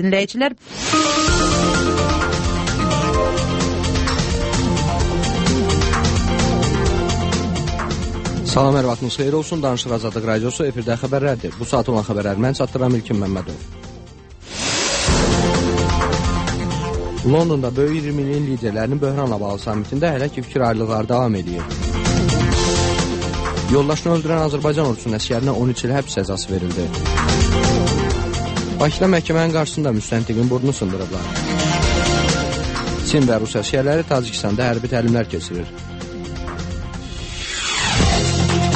dinləyicilər. Salam, hər vaxtınız xeyir olsun. Danışıq Azadlıq Radiosu efirdə xəbərlərdir. Bu saat olan xəbərləri mən çatdıran İlkin Məmmədov. Londonda böyük 20 ilin liderlərinin böhranla bağlı samitində hələ ki fikir ayrılıqları davam edir. Yoldaşını öldürən Azərbaycan ordusunun əsgərinə 13 il həbs cəzası verildi. Bakıda məhkəmənin qarşısında müstəntiqin burnunu sındırıblar. Çin və Rus əsgərləri Tacikistanda hərbi təlimlər keçirir.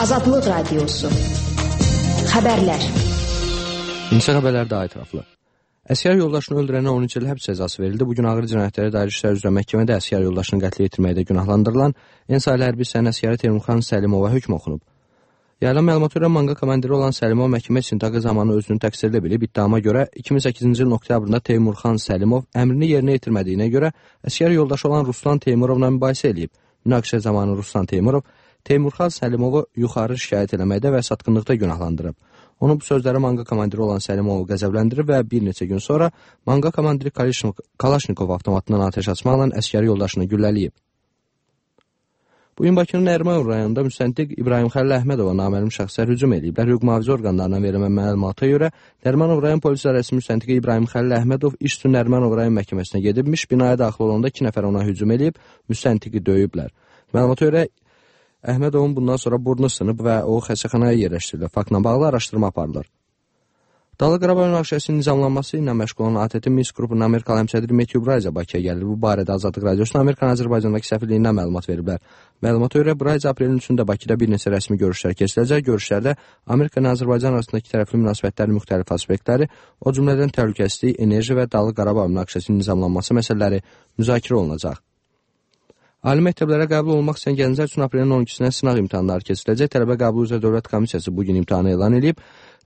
Azadlıq Radiosu. Xəbərlər. İnsə xəbərlər daha ətraflı. Əsgər yoldaşını öldürənə 13 il həbs cəzası verildi. Bugün ağır cinayətlərə dair işlər üzrə məhkəmədə əsgər yoldaşını qətlə yetirməkdə günahlandırılan Ensaylı hərbi hissənin əsgəri Teymurxan Səlimova hökm oxunub. Yayılan məlumata görə manqa komandiri olan Səlimov məhkəmə istintaqı zamanı özünü təqsirli bilib. İttihama görə 2008-ci ilin oktyabrında Teymurxan Səlimov əmrini yerinə yetirmədiyinə görə əsgər yoldaşı olan Ruslan Teymurovla mübahisə edib. Münaqişə zamanı Ruslan Teymurov Teymurxan Səlimovu yuxarı şikayət eləməkdə və satqınlıqda günahlandırıb. Onun bu sözləri manqa komandiri olan Səlimovu qəzəbləndirib və bir neçə gün sonra manqa komandiri Kalaşnikov avtomatından atəş açmaqla əskəri yoldaşını güllələyib. Bugün Bakının Ərməyon rayonunda müstəntiq İbrahim Xəlil Əhmədova naməlum şəxslər hücum ediblər. Hüquq mühafizə orqanlarından verilən məlumata görə Ərməyon rayon polis idarəsi müstəntiqi İbrahim Xəlil Əhmədov iş üçün Ərməyon rayon məhkəməsinə gedibmiş. Binaya daxil olanda 2 nəfər ona hücum edib, müstəntiqi döyüblər. Məlumata görə Əhmədovun bundan sonra burnu sınıb və o xəstəxanaya yerləşdirilib. Faktla bağlı araşdırma aparılır. Dağlıq Qarabağ münaqişəsinin nizamlanması ilə məşğul olan ATƏT Minsk qrupunun Amerikalı həmsədri Matthew Braiza Bakıya gəlir. Bu barədə Azadlıq Radiosunun Amerikanın Azərbaycandakı səfirliyindən məlumat veriblər. Məlumata görə Braiza aprelin 3-də Bakıda bir neçə rəsmi görüşlər keçiriləcək. Görüşlərdə Amerika ilə Azərbaycan arasındakı tərəfli münasibətlərin müxtəlif aspektləri, o cümlədən təhlükəsizlik, enerji və Dağlıq Qarabağ münaqişəsinin nizamlanması məsələləri müzakirə olunacaq. Ali məktəblərə qəbul olmaq istəyən gənclər üçün aprelin 12-sinə sınaq imtahanları keçiriləcək. Tələbə qəbulu üzrə Dövlət Komissiyası bugün imtahanı elan edib.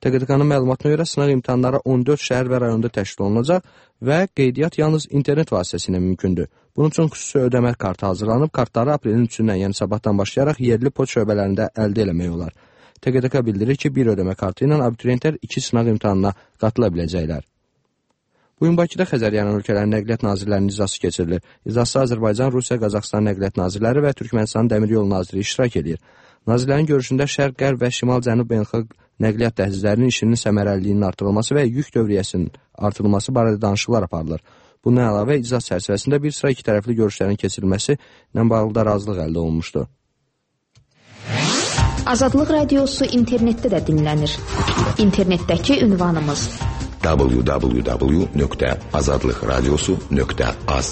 TQDK-nın məlumatına görə sınaq imtahanları 14 şəhər və rayonda təşkil olunacaq və qeydiyyat yalnız internet vasitəsilə mümkündür. Bunun üçün xüsusi ödəmə kartı hazırlanıb. Kartları aprelin 3-dən, yəni sabahdan başlayaraq yerli poçt şöbələrində əldə eləmək olar. TQDK bildirir ki, bir ödəmə kartı ilə abituriyentlər 2 sınaq imtahanına qatıla biləcəklər. Bugün Bakıda Xəzər yanı ölkələrin nəqliyyat nazirlərinin icrası keçirilir. İcrasda Azərbaycan, Rusiya, Qazaxıstan nəqliyyat nazirləri və Türkmənistan dəmir yolu naziri iştirak edir. Nazirlərin görüşündə Şərq, Qərb və Şimal-Cənub beynəlxalq nəqliyyat dəhlizlərinin işinin səmərəliliyinin artırılması və yük dövriyyəsinin artırılması barədə danışıqlar aparılır. Bundan əlavə icras çərçivəsində bir sıra iki tərəfli görüşlərin keçirilməsi ilə bağlı da razılıq əldə olunmuşdu. Azadlıq Radiosu internetdə də dinlənir. İnternetdəki ünvanımız www.azadlıqradiosu.az.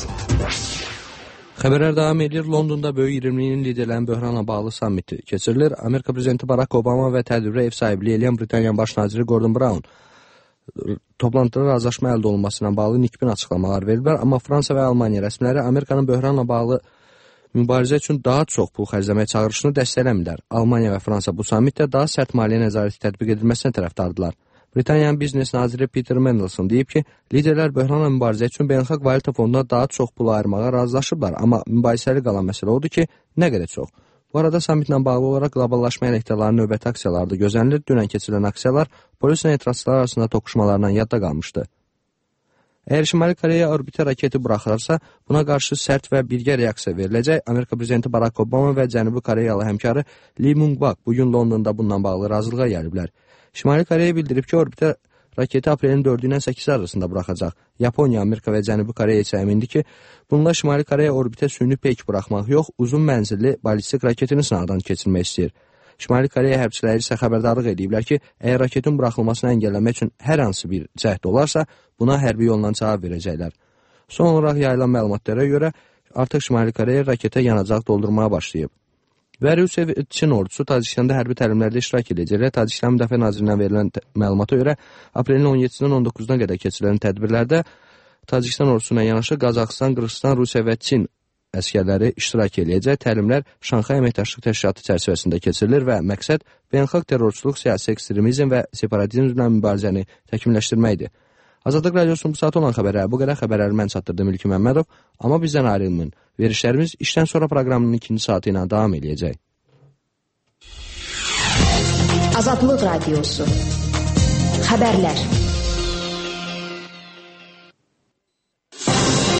Xəbərlər davam edir. Londonda böyük 20-nin liderlərin böhranla bağlı sammiti keçirilir. Amerika prezidenti Barack Obama və tədbirə ev sahibliyi edən Britaniyanın baş naziri Gordon Brown toplantıda razılaşma əldə olunmasına bağlı nikbin açıqlamalar veriblər. Amma Fransa və Almaniya rəsmiləri Amerikanın böhranla bağlı mübarizə üçün daha çox pul xərcləmək çağırışını dəstəkləmirlər. Almaniya və Fransa bu sammitdə daha sərt maliyyə nəzarəti tətbiq edilməsinə tərəfdardılar. Britaniyanın biznes naziri Peter Mandelson deyib ki, liderlər böhranla mübarizə üçün beynəlxalq valyuta fonduna daha çox pul ayırmağa razılaşıblar, amma mübahisəli qalan məsələ odur ki, nə qədər çox. Bu arada sammitlə bağlı olaraq qloballaşma əleyhdarlarının növbəti aksiyaları da gözlənilir. Dünən keçirilən aksiyalar polislə etirazçılar arasında toqquşmalarla yadda qalmışdı. Əgər Şimali Koreya orbitə raketi buraxırsa, buna qarşı sərt və birgə reaksiya veriləcək. Amerika prezidenti Barack Obama və Cənubi Koreyalı həmkarı Lee Myung-bak bugün Londonda bununla bağlı razılığa gəliblər. Şimali Koreya bildirib ki, orbitə raketi aprelin 4-dən 8 arasında buraxacaq. Yaponiya, Amerika və Cənubi Koreya isə əmindir ki, bununla Şimali Koreya orbitə süni peyk buraxmaq yox, uzun mənzilli balistik raketini sınaqdan keçirmək istəyir. Şimali Koreya hərbçiləri isə xəbərdarlıq ediblər ki, əgər raketin buraxılmasını əngəlləmək üçün hər hansı bir cəhd olarsa, buna hərbi yolla cavab verəcəklər. Son olaraq yayılan məlumatlara görə artıq Şimali Koreya raketə yanacaq doldurmaya başlayıb. Və Rusiya və Çin ordusu Tacikistanda hərbi təlimlərdə iştirak edəcəklər. Tacikistan Müdafiə Nazirliyindən verilən məlumata görə aprelin 17-dən 19-na qədər keçirilən tədbirlərdə Tacikistan ordusuna yanaşı Qazaxıstan, Qırğızstan, Rusiya və Çin əskərləri iştirak edəcək. Təlimlər Şanxay Əməkdaşlıq Təşkilatı çərçivəsində keçirilir və məqsəd beynəlxalq terrorçuluq, siyasi ekstremizm və separatizmlə mübarizəni təkmilləşdirməkdir. Azadlıq Radiosunun bu saat olan xəbərləri bu qədər. Xəbərləri mən çatdırdım İlkin Məmmədov. Amma bizdən ayrılmayın. Verişlərimiz işdən sonra proqramının ikinci saatı ilə davam edəcək. Azadlıq Radiosu. Xəbərlər.